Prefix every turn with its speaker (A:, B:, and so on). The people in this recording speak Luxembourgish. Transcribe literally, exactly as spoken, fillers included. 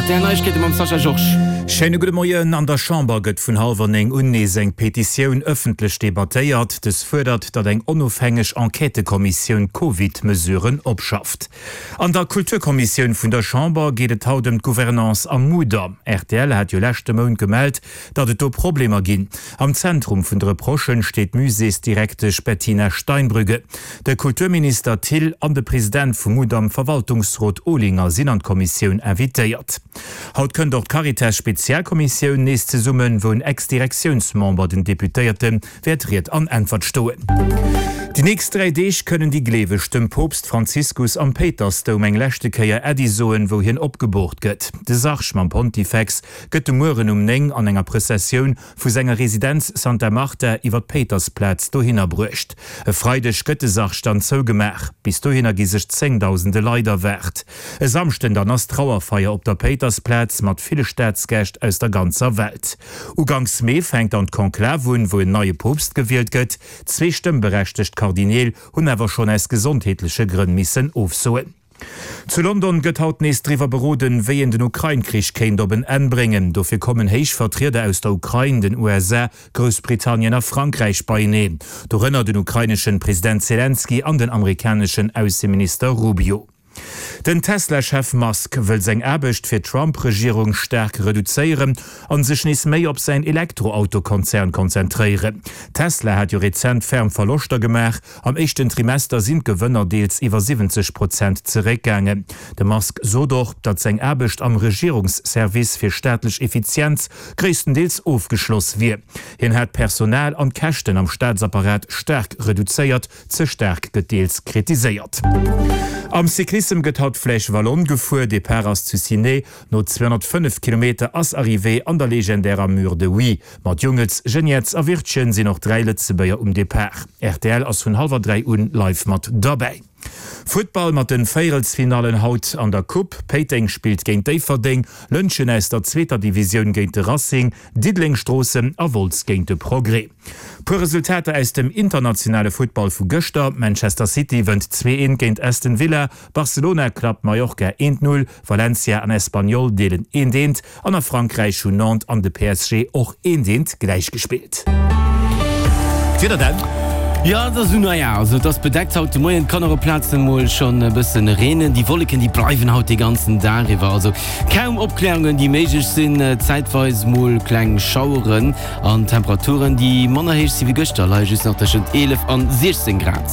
A: Rtl Neiegkeete mam Sascha Georges.
B: Schéine gudde Moien. An der Chamber gëtt vun hallwer néng un nees eng Petitioun ëffentlech debattéiert. Dës fuerdert, datt eng onofhängeg Enquêtëkommissioun d'Covid-Mesuren opschafft. An der Kulturkommissioun vun der Chamber geet et haut ëm d'Gouvernance am Mudam. Rtl hat jo leschte Mount gemellt, datt et do Problemer ginn. Am Zentrum vun de Reprochen steet d'Muséesdirektesch Bettina Steinbrügge. De Kulturminister Thill an de President vum Mudam-Verwaltungsrot Olinger sinn an d'Kommissioun invitéiert. Haut kënnt och d'Caritas-Spezialkommissioun nees zesummen, wou en Ex-Direktiounsmember den Deputéierte wäert Ried an Äntwert stoen. Déi nächst dräi Deeg kënnen déi Gleeweg dem Poopst Franziskus am Péitersdoum eng leschte Kéier Äddi soen, wou hien opgeboort gëtt. De Sarg mam Pontifex gëtt de Mueren um néng an enger Prëssessioun vu senger Residenz Santa Marta iwwer d'Péitersplaz dohinner bruecht. E Freideg gëtt de Sarg dann zougemaach. Bis dohinner gi sech zéngdausende Leit erwaart. E Samschden dann ass Trauerfeier op der Péitersplaz mat ville Staatsgäscht aus der ganzer Welt. Uganks Mee fänkt dann d'Konklav un, wou en neie Poopst gewielt gëtt. Zwee stëmmberechtegt Kardineel hunn awer schonn aus gesondheetleche Grënn missen ofsoen. Zu London gëtt haut nees driwwer beroden, wéi een den Ukrain-Krich kéint op en Enn bréngen. Dofir kommen héich Vertrieder aus der Ukrain, den U S A, Groussbritannien a Frankräich beieneen. Dorënner den ukraineschen President Selenskyj an den amerikaneschen Ausseminister Rubio. Den Tesla-Chef Musk wëll seng Aarbecht fir d'Trump-Regierung staark reduzéieren an sech nees méi op säin Elektroauto-Konzern konzentréieren. Tesla hat jo rezent ferm Verloschter gemaach. Am éischten Trimester sinn d'Gewënner deels iwwer siwwenzeg Prozent zeréckgaangen. De Musk sot och, datt seng Aarbecht am Regierungsservice fir staatlech Effizienz gréisstendeels ofgeschloss wier. Hien hätt d'Personal an d'Käschten am Staatsapparat staark reduzéiert. Ze staark gëtt deels kritiséiert. Am Cyclissem gëtt haut d'Flèche Wallonne gefuer. Depart ass zu Ciney. No zweehonnertfënnef Kilometer ass Arrivée an der legendärer Mur de Huy. Mat Jungels, Geniets a Wirtgen sinn och dräi Lëtzebuerger um Depart. Rtl ass vun hallwer dräi un live mat derbäi. Futtball mat den Véierelsfinallen haut an der Coupe. Péiteng spillt géint Déifferdeng, Lëntgen aus der zweeter Divisioun géint de Racing, Diddeleng Stroossen a Wolz géint de Progrès. Puer Resultater aus dem internationale Futtball vu gëschter, Manchester City wënnt zwee eent géint Aston Villa, Barcelona klappt Mallorca eent null, Valencia an Espanyol deelen eent eent an a Frankräich hunn Nantes an de P S G och eent eent gläichgespillt. D'Wieder dann?
A: Jo, et ass esou, naja, also et ass bedeckt haut de Moien, et kann och op Plazen emol schonn e bëssen reenen. Déi Wolleken, déi bleiwen haut de ganzen Dag iwwer, also kaum Opklärungen, déi méiglech sinn, zäitweis mol kleng Schaueren an Temperaturen, déi manner héich si wéi gëschter, leie just nach tëschent eelef an siechzéng Grad.